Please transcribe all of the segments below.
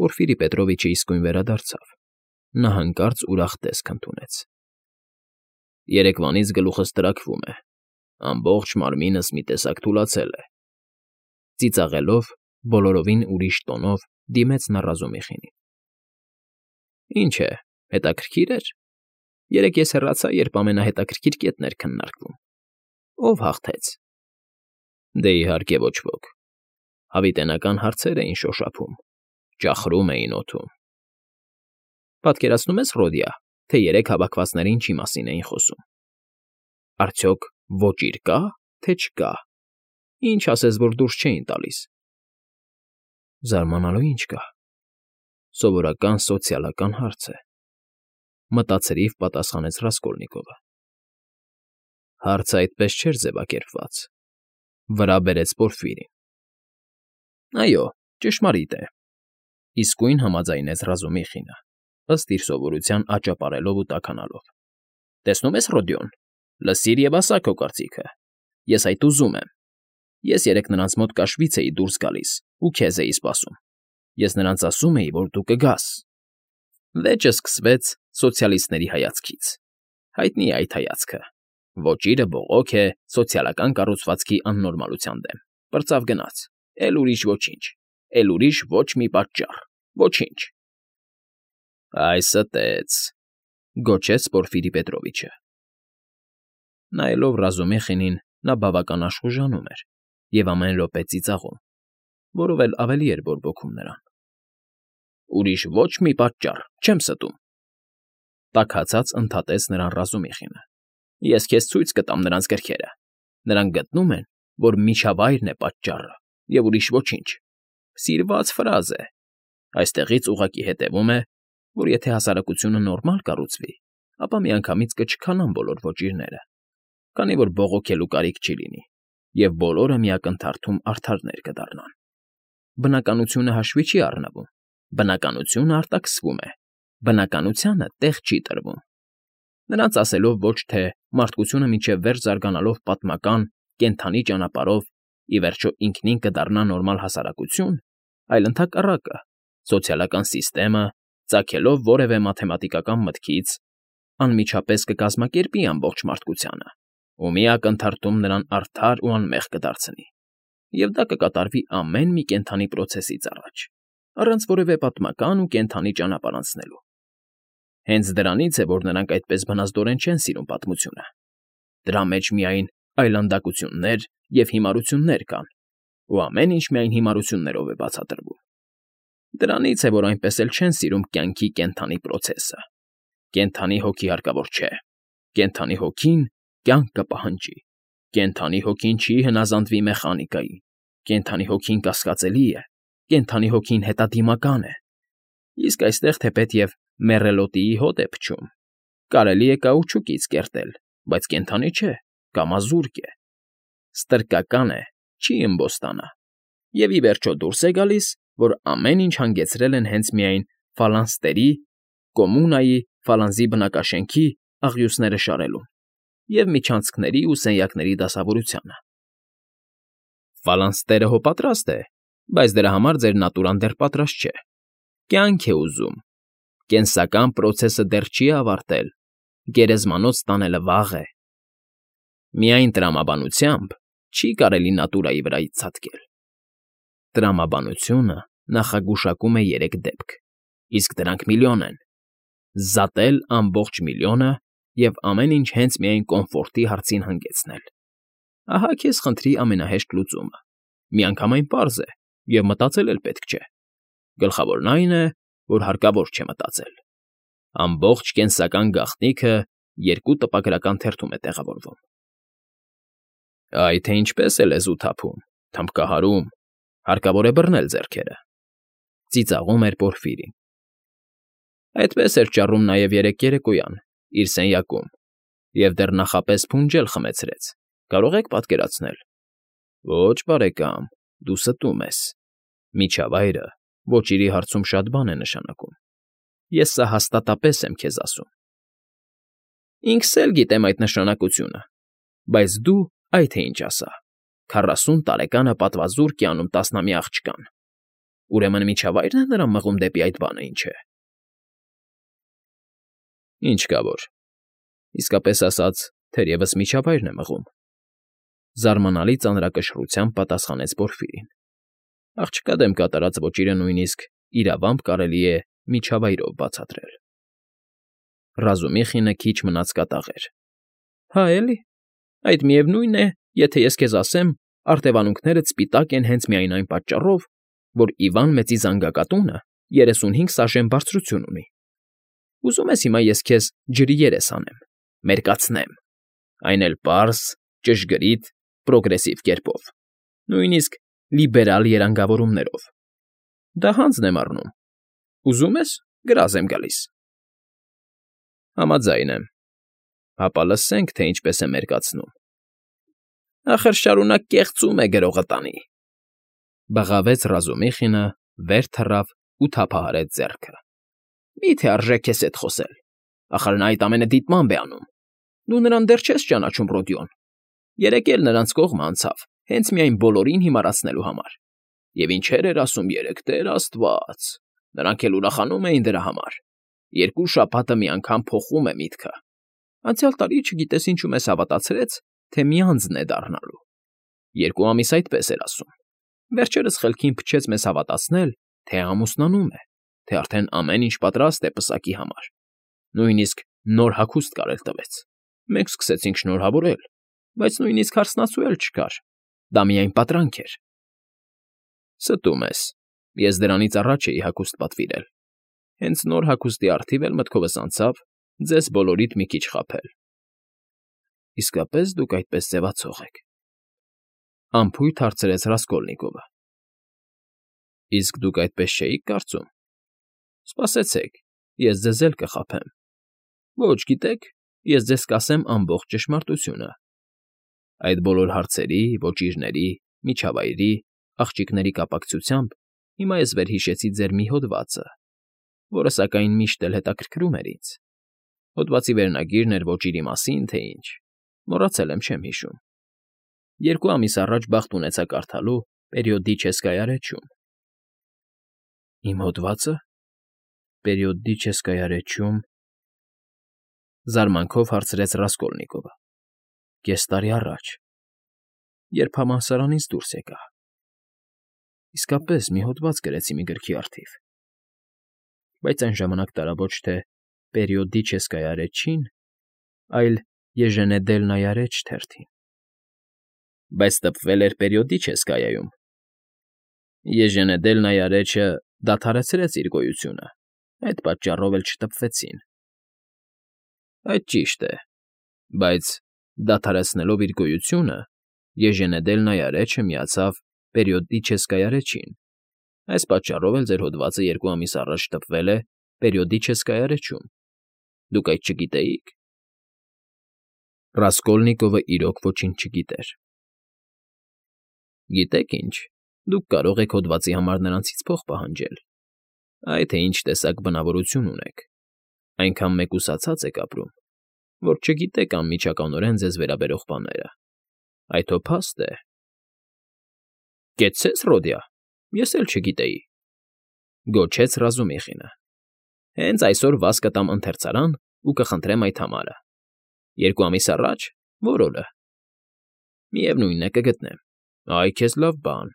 Պորֆիրի Պետրովիչը իսկույն վերադարձավ։ Նա հանկարծ ուրախ տեսք ընդունեց։ Երեկվանից գլուխս տրաքվում է, ամբողջ մարմինս մի տեսակ թուլացել է։ Ծիծաղելով, բոլորովին ուրիշ տոնով դիմեց նա Ռազումիխինին։ Ինչ է, հետաքրքիր էր։ Երեկ ես հեռացա, երբ ամենահետաքրքիր կետն էր քննարկվում։ Ո՞վ հաղթեց։ Դե իհարկե ոչ ոք։ Հավիտենական հարցեր էին շոշափում, ճախրում էին օդում։ Պատկերացնում ես, Ռոդիա, թե երեք հավաքվածները ինչի մասին էին խոսում։ Արդյոք ոճիր կա, թե չկա։ Ինչ ասես, որ դուրս չէին տալիս։ Զարմանալու ինչ կա։ Սովորական սոցիալական հարց է։ Մտածերիվ պատասխանեց Ռասկոլնիկովը։ Հարցը այդպես չէր ձևակերպված։ Վրա բերեց Պորֆիրին։ Այո, ճշմարիտ է։ Իսկույն համաձայնեց Ռազումիխինը, ըստ իր սովորության աճապարելով ու տաքանալով։ Տեսնում ես, Ռոդիոն, լսիր և ասա քո կարծիքը։ Ես այդ ուզում եմ։ Ես երեկ նրանց մոտ կաշվից էի դուրս գալիս ու քեզ էի սպասում։ Ես նրանց ասում էի, որ դու կգաս։ Վեճը սկսվեց սոցիալիստների հայացքից։ Հայտնի է այդ հայացքը։ Ոճիրը բողոք է սոցիալական կառուցվածքի աննորմալության դեմ։ Պրծավ գնաց։ Էլ ուրիշ ոչինչ։ Էլ ուրիշ ոչ մի պատճառ։ Ոչինչ։ Այսը տեց, գոչեց Պորֆիրի Պետրովիչը։ Նայելով Ռազումիխինին, նա բավական աշխուժանում էր և ամեն րոպե ծիծաղում, որով էլ ավելի էր բորբոքում նրան։ Ուրիշ ոչ մի պատճառ, չեմ ստում։ Տաքացած ընդհատեց նրան Ռազումիխինը։ Ես քեզ ցույց կտամ նրանց գրքերը։ Նրանք գտնում են, որ միջավայրն է պատճառը, և ուրիշ ոչինչ։ Սիրված ֆրազ է։ Այստեղից ուղղակի հետևում է, որ եթե հասարակությունը նորմալ կառուցվի, ապա միանգամից կչքանան բոլոր ոճիրները, քանի որ բողոքելու կարիք չի լինի, և բոլորը միակնթարթում արդարներ կդառնան։ Բնականությունը հաշվի չի առնվում, բնականությունը արտաքսվում է, բնականությանը տեղ չի տրվում։ Նրանց ասելով ոչ թե մարդկությունը մինչև վերջ զարգանալով պատմական, կենդանի ճանապարհով ի վերջո ինքնին կդառնա նորմալ հասարակություն, այլ ընդհակառակը, սոցիալական սիստեմը, ծագելով որևէ մաթեմատիկական մտքից, անմիջապես կկազմակերպի ամբողջ մարդկությանը ու մի ակնթարթում նրան արդար ու անմեղ կդարձնի, և դա կկատարվի ամեն մի կենդանի պրոցեսից առաջ, առանց որևէ պատմական ու կենդանի ճանապարհ անցնելու։ Հենց դրանից է, որ նրանք այդպես բնազդորեն չեն սիրում պատմությունը։ Դրա մեջ միայն այլանդակություններ և հիմարություններ կան, ու ամեն ինչ միայն հիմարություններով է բացատրվում։ Դրանից է, որ այնպես էլ չեն սիրում կյանքի կենդանի պրոցեսը։ Կենդանի հոգի հարկավոր չէ։ Կենդանի հոգին կյանք կպահանջի։ Կենդանի հոգին չի հնազանդվի մեխանիկային։ Կենդանի հոգին կասկածելի է։ Կենդանի հոգին հետադիմական է։ Իսկ այստեղ թեպետև մեռելոտիի հոտ է փչում։ Կարելի է կաուչուկից կերտել, բայց կենդանի չէ, կամազուրկ է։ Ստրկական է, չի ըմբոստանա։ Եվ ի վերջո դուրս է գալիս, որ ամեն ինչ հանգեցրել են հենց միայն ֆալանստերի, կոմունայի, ֆալանզի բնակաշենքի աղյուսները շարելուն և միջանցքների ու սենյակների դասավորությանը։ Ֆալանստերը հո պատրաստ է, բայց դրա համար ձեր նատուրան դեռ պատրաստ չէ։ Կյանք է ուզում։ Կենսական պրոցեսը դեռ չի ավարտել։ Գերեզմանոց տանելը վաղ է։ Միայն տրամաբանությամբ չի կարելի նատուրայի վրայից ցատկել։ Տրամաբանությունը նախագուշակում է 3 դեպք, իսկ դրանք միլիոն են։ Զատել ամբողջ միլիոնը և ամեն ինչ հենց միայն կոմֆորտի հարցին հանգեցնել։ Ահա քեզ խնդրի ամենահեշտ լուծումը։ Միանգամայն պարզ է, և մտածել էլ պետք չէ։ Գլխավորն այն է, որ հարկավոր չէ մտածել։ Ամբողջ կենսական գաղտնիքը 2 տպագրական թերթում է տեղավորվում։ Այ թե ինչպես է լեզու թափում, թմբկահարում, հարկավոր է բռնել ձեռքերը։ Ծիծաղում էր Պորֆիրին։ Այդպես էր ճառում նաև երեկոյան, իր սենյակում, և դեռ նախապես փունջ էլ խմեցրեց, կարող եք պատկերացնել։ Ոչ, բարեկամ, դու ստում ես։ Միջավայրը ոճիրի հարցում շատ բան է նշանակում։ Ես սա հաստատապես եմ քեզ ասում։ Ինքս էլ գիտեմ այդ նշանակությունը, բայց դու այ թե ինչ ասա. 40 տարեկանը պատվազուրկ է անում 10-ամյա աղջկան։ Ուրեմն միջավայրն է նրան մղում դեպի այդ բանը, ինչ է։ Ինչ կա որ։ Իսկապես ասած, թերևս միջավայրն է մղում։ Զարմանալի ծանրակշռությամբ պատասխանեց Պորֆիրին։ Աղջկա դեմ կատարած ոճիրը նույնիսկ իրավամբ կարելի է միջավայրով բացատրել։ Ռազումիխինը քիչ մնաց կատաղեր։ Հա էլի, այդ միևնույն է, եթե ես քեզ ասեմ, արտևանունքներդ սպիտակ են հենց միայն այն պատճառով, որ Իվան մեծի զանգակատունը 35 սաժեն բարձրություն ունի։ Ուզում ես հիմա ես քեզ ջրի երես անեմ, մերկացնեմ, այն էլ պարզ, ճշգրիտ, պրոգրեսիվ կերպով, նույնիսկ լիբերալ երանգավորումներով։ Դա հանձն եմ առնում։ Ուզում ես, գրազ եմ գալիս։ Համաձայն եմ։ Հապա լսենք, թե ինչպես է մերկացնում։ Ախր շարունակ կեղծում է գրողը տանի։ Բղավեց Ռազումիխինը, վեր թռավ ու թափահարեց ձեռքը։ Մի՞թե արժե քեզ հետ խոսել։ Ախր նա այդ ամենը դիտմամբ է անում։ Դու նրան դեռ չես ճանաչում, Ռոդիոն։ Երեկ էլ նրանց կողմը անցավ, հենց միայն բոլորին հիմարացնելու համար։ Եվ ինչեր էր ասում երեկ, Տեր Աստված։ Նրանք էլ ուրախանում էին դրա համար։ 2 շաբաթը մի անգամ փոխում է միտքը։ Անցյալ տարի չգիտես ինչու մեզ հավատացրեց, թե մի անձն է դառնալու։ 2 ամիս այդպես էր ասում։ Վերջերս խելքին փչեց մեզ հավատացնել, թե ամուսնանում է, թե արդեն ամեն ինչ պատրաստ է պսակի համար։ Նույնիսկ նոր հագուստ կարել տվեց։ Մենք սկսեցինք շնորհավորել, բայց նույնիսկ հարսնացու էլ չկար։ Դա միայն պատրանք էր։ Ստում ես։ Ես դրանից առաջ էի հագուստ պատվիրել։ Հենց նոր հագուստի առթիվ էլ մտքովս անցավ ձեզ բոլորիդ մի քիչ խաբել։ Իսկապես դուք այդպես ձևացող եք։ Անփույթ հարցրեց Ռասկոլնիկովը։ Իսկ դուք այդպես չէիք կարծում։ Սպասեցեք, ես ձեզ էլ կխաբեմ։ Ոչ, գիտեք, ես ձեզ կասեմ ամբողջ ճշմարտությունը։ Այդ բոլոր հարցերի, ոճիրների, միջավայրի, աղջիկների կապակցությամբ հիմա ես վերհիշեցի ձեր մի հոդվածը, որը սակայն միշտ էլ հետաքրքրում էր ինձ։ Հոդվածի վերնագիրն էր ոճիրի մասին, թե ինչ։ Մոռացել եմ, չեմ հիշում։ 2 ամիս առաջ բախտ ունեցա կարդալու «Պերիոդիչեսկայա ռեչյում»։ Իմ հոդվածը։ «Պերիոդիչեսկայա ռեչյում»։ Զարմանքով հարցրեց Ռասկոլնիկովը։ Կես տարի առաջ, երբ համալսարանից դուրս եկա։ Իսկապես մի հոդված գրեցի մի գրքի առթիվ։ Բայց այն ժամանակ տարա ոչ թե «Պերիոդիչեսկայա ռեչին», այլ «Եժենեդելնայա ռեչ» թերթին։ Բայց տպվել էր «Պերիոդիչեսկայայում»։ Եժենեդելնայա ռեչը դադարեցրեց իր գոյությունը, այդ պատճառով էլ չտպվեցին։ Այդ ճիշտ է, բայց դադարեցնելով իր գոյությունը, Եժենեդելնայա ռեչը միացավ «Պերիոդիչեսկայա ռեչին»։ Այս պատճառով էլ ձեր հոդվածը 2 ամիս առաջ տպվել է «Պերիոդիչեսկայա ռեչում»։ Դուք այդ չգիտեիք։ Ռասկոլնիկովը իրոք ոչինչ չգիտեր։ Գիտեք ինչ, դուք կարող եք հոդվածի համար նրանցից փող պահանջել։ Այ թե ինչ տեսակ բնավորություն ունեք։ Այնքան մեկուսացած եք ապրում, որ չգիտեք անմիջականորեն ձեզ վերաբերող բաները։ Այդ հո փաստ է։ Կեցցե՞ս, Ռոդիա, ես էլ չգիտեի։ Գոչեց Ռազումիխինը։ Հենց այսօր վազ կտամ ընթերցարան ու կխնդրեմ այդ համարը։ 2 ամիս առաջ, որ օրը։ Միևնույնն է, կգտնեմ։ Այ քեզ լավ բան։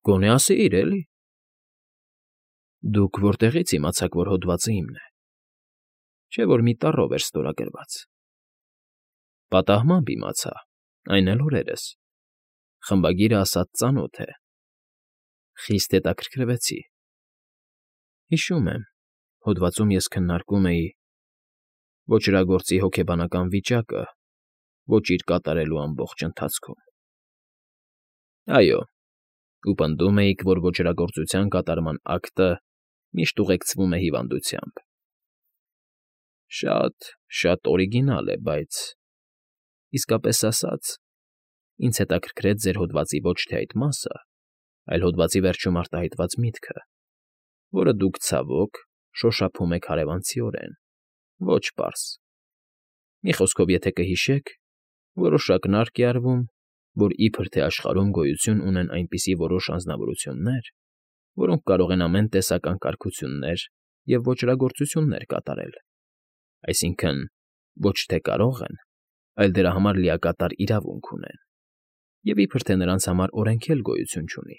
Գոնե ասեիր, էլի։ Դուք որտեղից իմացաք, որ հոդվածը իմն է։ Չէ՞ որ մի տառով էր ստորագրված։ Պատահմամբ իմացա, այն էլ օրերս։ Խմբագիրը ասած ծանոթ է։ Խիստ հետաքրքրվեցի։ Հիշում եմ, հոդվածում ես քննարկում էի ոճրագործի հոգեբանական վիճակը ոճիր կատարելու ամբողջ ընթացքում։ Այո, ու պնդում էիք, որ ոճրագործության կատարման ակտը միշտ ուղեկցվում է հիվանդությամբ։ Շատ օրիգինալ է, բայց… Իսկապես ասած, ինձ հետաքրքրեց ձեր հոդվածի ոչ թե այդ մասը, այլ հոդվածի վերջում արտահայտված միտքը, որը դուք, ցավոք, շոշափում եք հարևանցիորեն, ոչ պարզ։ Մի խոսքով, եթե կհիշեք, որոշակն է արվում, որ իբր թե աշխարհում գոյություն ունեն այնպիսի որոշ անձնավորություններ, որոնք կարող են ամեն տեսակ անկարգություններ և ոճրագործություններ կատարել, այսինքն ոչ թե կարող են, այլ դրա համար լիակատար իրավունք ունեն, և իբրև թե նրանց համար օրենք էլ գոյություն չունի։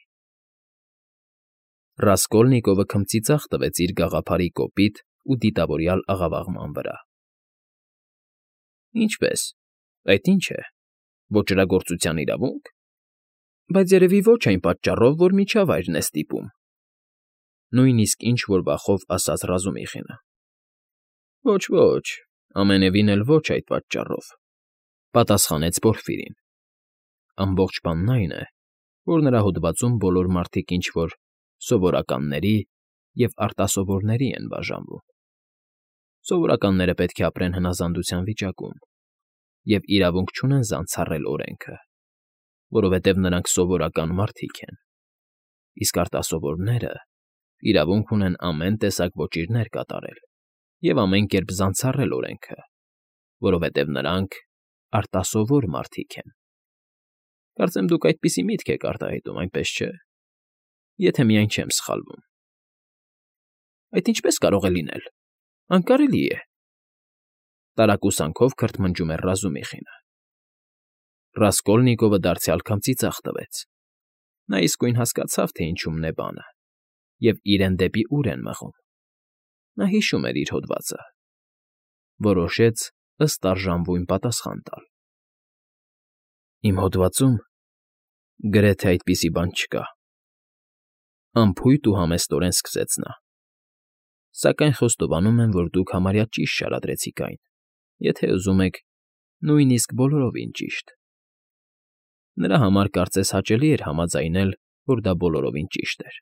Ռասկոլնիկովը քմծի ձախ տվեց իր գաղափարի կոպիտ ու դիտավորյալ աղավաղման վրա։ Ինչպե՞ս, այդ ի՞նչ է, ոճրագործության իրավունք, բայց երևի ոչ այն պատճառով, որ միջավայրն է ստիպում, նույնիսկ ինչ֊որ վախով ասաց Ռազումիխինը։ Ոչ, ամենևին էլ ոչ այդ պատճառով, պատասխանեց Պորֆիրին։ Ամբողջ բանն այն է, որ նրա հոդվածում բոլոր մարդիկ ինչ֊որ սովորականների և արտասովորների են բաժանվում։ Սովորականները պետք է ապրեն հնազանդության վիճակում և իրավունք չունեն զանցառել օրենքը, որովհետև նրանք սովորական մարդիկ են, իսկ արտասովորները իրավունք ունեն ամեն տեսակ ոճիրներ կատարել և ամեն կերպ զանցառել օրենքը, որովհետև նրանք արտասովոր մարդիկ են։ Կարծեմ դուք այդպիսի միտք եք արտահայտում, այնպես չէ՞, եթե միայն չեմ սխալվում։ Այդ ինչպե՞ս կարող է լինել, անկարելի է, տարակուսանքով քրթմնջում էր Ռազումիխինը։ Ռասկոլնիկովը դարձյալ քմծի ձախ տվեց։ Նա իսկույն հասկացավ, թե ինչումն է բանը, և իրեն դեպի ուր են մղում։ Նա հիշում էր իր հոդվածը։ Որոշեց ըստ արժանվույն պատասխան տալ։ Իմ հոդվածում գրեթե այդպիսի բան չկա։ Անփույթ ու համեստորեն սկսեց նա։ Սակայն խոստովանում եմ, որ դուք համարյա ճիշտ շարադրեցիք այն, եթե ուզում եք, նույնիսկ բոլորովին ճիշտ։ Նրա համար կարծես հաճելի էր համաձայնել, որ դա բոլորովին ճիշտ էր։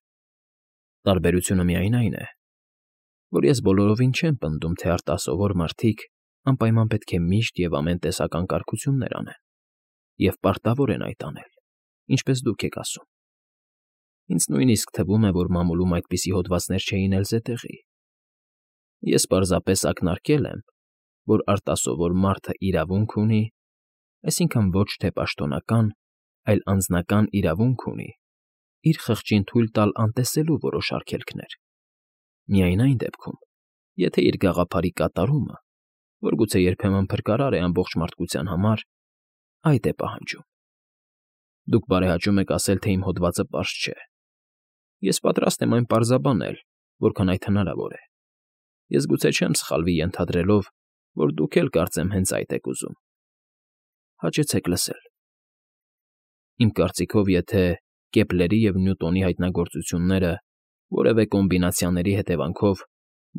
Տարբերությունը միայն այն է, որ ես բոլորովին չեմ պնդում, թե արտասովոր մարդիկ անպայման պետք է միշտ և ամեն տեսակ անկարգություններ անեն, և պարտավոր են այդ անել, ինչպես դուք եք ասում։ Ինձ նույնիսկ թվում է, որ մամուլում այդպիսի հոդվածներ չէին էլ զետեղի։ Ես պարզապես ակնարկել եմ, որ արտասովոր մարդը իրավունք ունի, այսինքն ոչ թե պաշտոնական, այլ անձնական իրավունք ունի իր խղճին թույլ տալ անտեսելու որոշ արգելքներ, միայն այն դեպքում, եթե իր գաղափարի կատարումը, որ գուցե երբեմն փրկարար է ամբողջ մարդկության համար, այդ է պահանջում։ Դուք բարեհաճում եք ասել, թե իմ հոդվածը պարզ չէ։ Ես պատրաստ եմ այն պարզաբանել, որքան այդ հնարավոր է։ Ես գուցե չեմ սխալվի ենթադրելով, որ դուք էլ կարծեմ հենց այդ եք ուզում։ Հաճեցեք լսել։ Իմ կարծիքով, եթե Կեպլերի և Նյուտոնի հայտնագործությունները որևէ կոմբինացիաների հետևանքով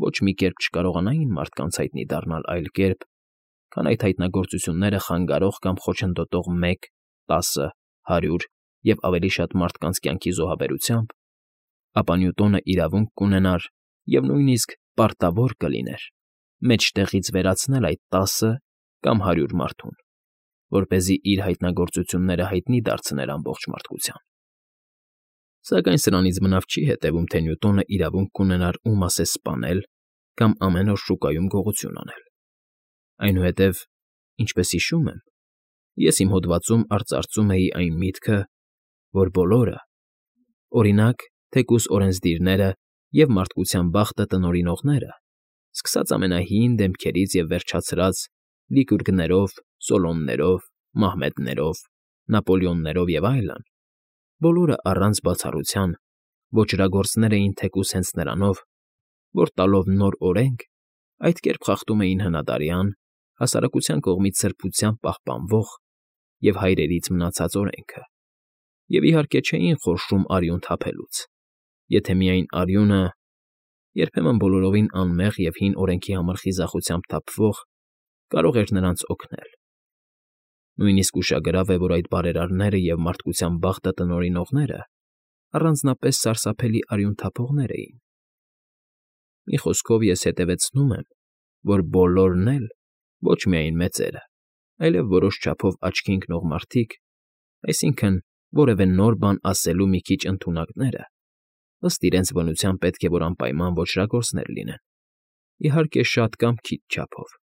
ոչ մի կերպ չկարողանային մարդկանց հայտնի դառնալ այլ կերպ, քան այդ հայտնագործությունները խանգարող կամ խոչընդոտող 1, 10, 100 և ավելի շատ մարդկանց կյանքի զոհաբերությամբ, ապա Նյուտոնը իրավունք կունենար և նույնիսկ պարտավոր կլիներ մեջտեղից վերացնել այդ 10 կամ 100 մարդուն, որպեսզի իր հայտնագործությունները հայտնի դարձներ ամբողջ մարդկության։ Սակայն սրանից բնավ չի հետևում, թե Նյուտոնը իրավունք կունենար ում ասես սպանել կամ ամեն օր շուկայում գողություն անել։ Այնուհետև, ինչպես հիշում եմ, ես իմ հոդվածում արծարծում էի այն միտքը, որ բոլորը, օրինակ, թեկուզ օրենսդիրները և մարդկության բախտը տնօրինողները, սկսած ամենահին դեմքերից և վերջացրած Լիկուրգներով, Սոլոններով, Մահմեդներով, Նապոլեոններով և այլն, բոլորը առանց բացառության ոճրագործներ էին թեկուզ հենց նրանով, որ տալով նոր օրենք, այդ կերպ խախտում էին հնադարյան, հասարակության կողմից սրբությամբ պահպանվող և հայրերից մնացած օրենքը, և իհարկե չէին խորշում արյուն թափելուց, եթե միայն արյունը, երբեմն բոլորովին անմեղ և հին օրենքի համար խիզախությամբ թափվող, կարող էր նրանց օգնել։ Նույնիսկ ուշագրավ է, որ այդ բարերարները և մարդկության բախտը տնօրինողները առանձնապես սարսափելի արյուն թափողներ էին։ Մի խոսքով ես հետևեցնում եմ, որ բոլորն էլ, ոչ միայն մեծերը, այլև որոշ չափով աչքի ընկնող մարդիկ, այսինքն որևէ նոր բան ասելու մի քիչ ընդունակները, ըստ իրենց բնության պետք է որ անպայման ոճրագործներ լինեն, իհարկե շատ կամ քիչ չափով։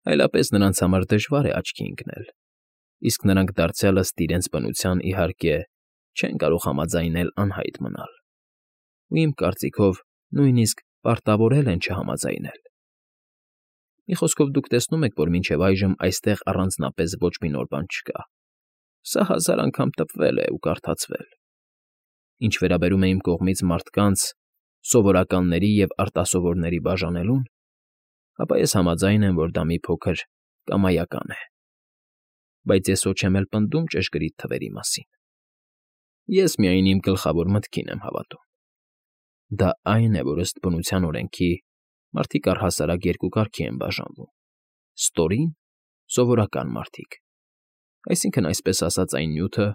Այլապես նրանց համար դժվար է աչքի ընկնել, իսկ նրանք դարձյալ ըստ իրենց բնության, իհարկե, չեն կարող համաձայնել անհայտ մնալ։ ու իմ կարծիքով նույնիսկ պարտավորել են չհամաձայնել։ Մի խոսքով դուք տեսնում եք, որ մինչև այժմ այստեղ առանձնապես ոչ մի նոր բան չկա։ Սա 1000 անգամ տպվել է ու կարդացվել։ Ինչ վերաբերում է իմ կողմից մարդկանց, սովորականների և արտասովորների բաժանելուն, ապա ես համաձայն եմ, որ դա մի փոքր կամայական է։ Բայց ես ոչ եմ էլ պնդում ճշգրիտ թվերի մասին։ Ես միայն իմ գլխավոր մտքին եմ հավատում։ Դա այն է, որ ըստ բնության օրենքի մարդիկ առհասարակ երկու կարգի են բաժանվում. ստորին, սովորական մարդիկ, այսինքն այսպես ասած այն նյութը,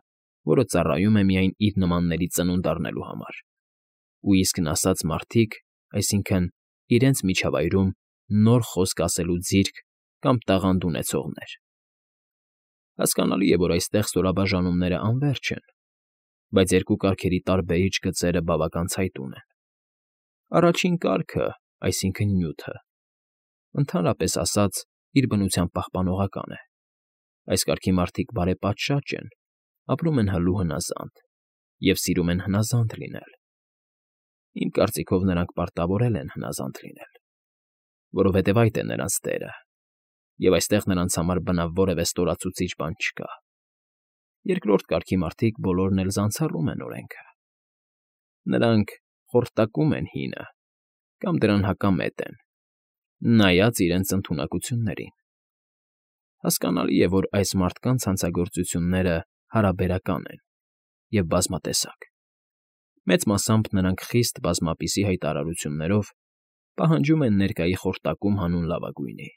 որը ծառայում է միայն իր նմանների ծնունդ առնելու համար, ու իսկն ասած մարդիկ, այսինքն իրենց միջավայրում նոր խոսք ասելու ձիրք կամ տաղանդ ունեցողներ։ Հասկանալի է, որ այստեղ ստորաբաժանումները անվերջ են, բայց երկու կարգերի տարբերիչ գծերը բավական ցայտուն են։ Առաջին կարգը, այսինքն նյութը, ընդհանրապես ասած, իր բնությամբ պահպանողական է։ Այս կարգի մարդիկ բարեպատշաճ են, ապրում են հլու հնազանդ և սիրում են հնազանդ լինել։ Իմ կարծիքով նրանք պարտավորել են հնազանդ լինել, որովհետև այդ է նրանց տերը, և այստեղ նրանց համար բնավ որևէ ստորացուցիչ բան չկա։ Երկրորդ կարգի մարդիկ բոլորն էլ զանցառում են օրենքը։ Նրանք խորտակում են հինը կամ դրան հակամետ են, նայած իրենց ընդունակություններին։ Հասկանալի է, որ այս մարդկանց հանցագործությունները հարաբերական են և բազմատեսակ։ Մեծ մասամբ նրանք խիստ բազմապիսի հայտարարություններով պահանջում են ներկայի խորտակում հանուն լավագույնի,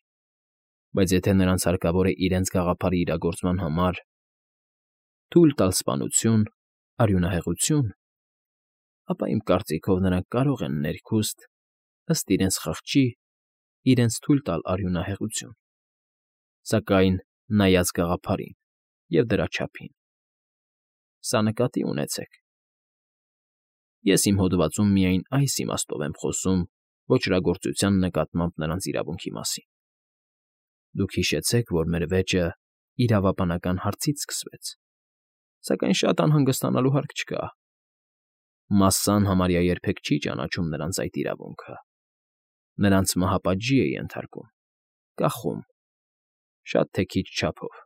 բայց եթե նրանց հարկավոր է իրենց գաղափարի իրագործման համար թույլ տալ սպանություն, արյունահեղություն, ապա իմ կարծիքով նրանք կարող են ներքուստ, ըստ իրենց խղճի, իրենց թույլ տալ արյունահեղություն, սակայն նայած գաղափարին և դրա չափին։ Սա նկատի ունեցեք։ Ես իմ հոդվածում միայն այս իմաստով եմ խոսում ոճրագործության նկատմամբ նրանց իրավունքի մասին։ Դուք հիշեցեք, որ մեր վեճը իրավաբանական հարցից սկսվեց, սակայն շատ անհանգստանալու հարկ չկա։ Մասսան համարյա երբեք չի ճանաչում նրանց այդ իրավունքը։ Նրանց մահապատժի է ենթարկում, կախում, շատ թե քիչ չափով,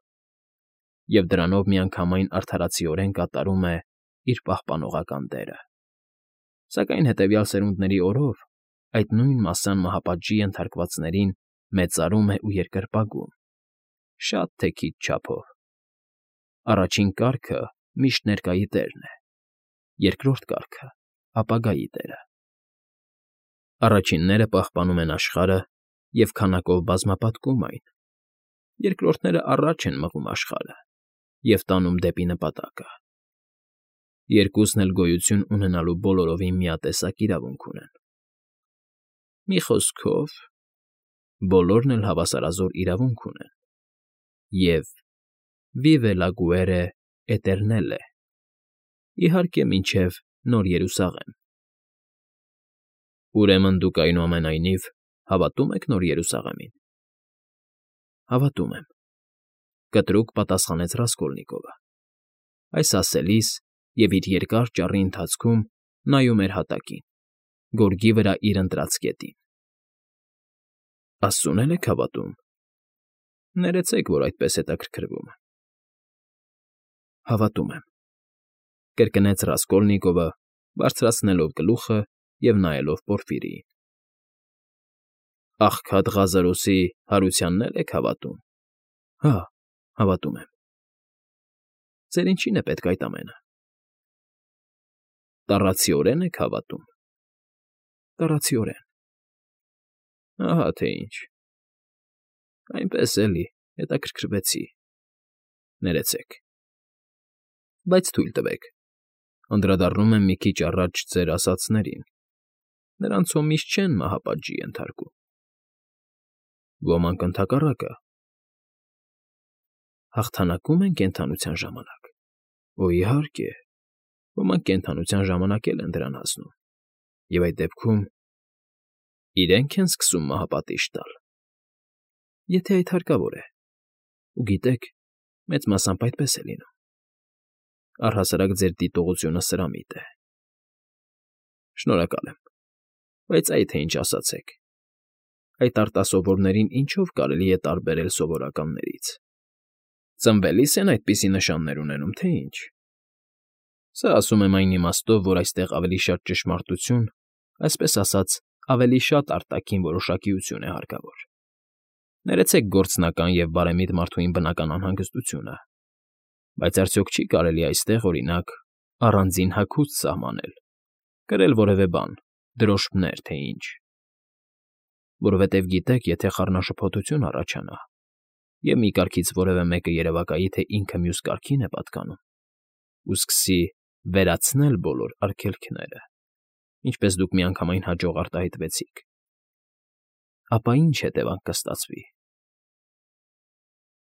և դրանով միանգամայն արդարացիորեն կատարում է իր պահպանողական դերը։ Սակայն հետևյալ սերունդների օրով այդ նույն մասսան մահապատժի ենթարկվածներին մեծարում է ու երկրպագում, շատ թե քիչ չափով։ Առաջին կարգը միշտ ներկայի տերն է, երկրորդ կարգը ապագայի տերը։ Առաջինները պահպանում են աշխարհը և քանակով բազմապատկում այն, երկրորդները առաջ են մղում աշխարհը և տանում դեպի նպատակը։ Երկուսն էլ գոյություն ունենալու բոլորովին միատեսակ իրավունք ունեն։ Մի խոսքով, բոլորն էլ հավասարազոր իրավունք ունեն և vive la guerre eternelle, իհարկե, մինչև Նոր Երուսաղեմ։ Ուրեմն դուք այնուամենայնիվ հավատո՞ւմ եք Նոր Երուսաղեմին։ Հավատում եմ,֊ կտրուկ պատասխանեց Ռասկոլնիկովը, այս ասելիս և իր երկար ճառի ընթացքում նայում էր հատակին, գորգի վրա իր ընտրած կետին։ Աստծուն եք հավատում։ Ներեցեք, որ այդպես հետաքրքրվում եմ։ Հավատում եմ,֊ կրկնեց Ռասկոլնիկովը, բարձրացնելով գլուխը և նայելով Պորֆիրիին։ Աղքատ Ղազարոսի հարությանն էլ եք հավատում։ Հա, հավատում եմ։ Ձեր ինչի՞ն է պետք այդ ամենը։ Տառացիորեն եք հավատում։ Տառացիորեն։ Ահա թե ինչ։ Այնպես էլի, հետաքրքրվեցի։ Ներեցեք։ Բայց թույլ տվեք, անդրադառնում եմ մի քիչ առաջ ձեր ասացներին. նրանց հո միշտ չեն մահապատժի ենթարկում։ Ոմանք ընդհակառակը։ Հաղթանակում են կենդանության ժամանակ։ Օ, իհարկե, ոմանք կենդանության ժամանակ էլ են դրան հասնում, և այդ դեպքում իրենք են սկսում մահապատիժ տալ։ Եթե այդ հարկավոր է, ու գիտեք, մեծ մասամբ այդպես է լինում։ Առհասարակ ձեր դիտողությունը սրամիտ է։ Շնորհակալ եմ, բայց այ թե ինչ ասացեք. այդ արտասովորներին ինչո՞վ կարելի է տարբերել սովորականներից։ Ծնվելի՞ս են այդպիսի նշաններ ունենում, թե ինչ։ Սա ասում եմ այն իմաստով, որ այստեղ ավելի շատ ճշմարտություն, այսպես ասած, ավելի շատ արտաքին որոշակիություն է հարկավոր։ Ներեցեք գործնական և բարեմիտ մարդուին բնական անհանգստությունը, բայց արդյոք չի՞ կարելի այստեղ, օրինակ, առանձին հագուստ սահմանել, կրել որևէ բան, դրոշմներ, թե ինչ։ Որովհետև գիտեք, եթե խառնաշփոթություն առաջանա, և մի կարգից որևէ մեկը երևակայի, թե ինքը մյուս կարգին է պատկանում, ու սկսի վերացնել բոլոր արգելքները, ինչպես դուք միանգամայն հաջող արտահայտվեցիք, ապա ինչ հետևանք կստացվի։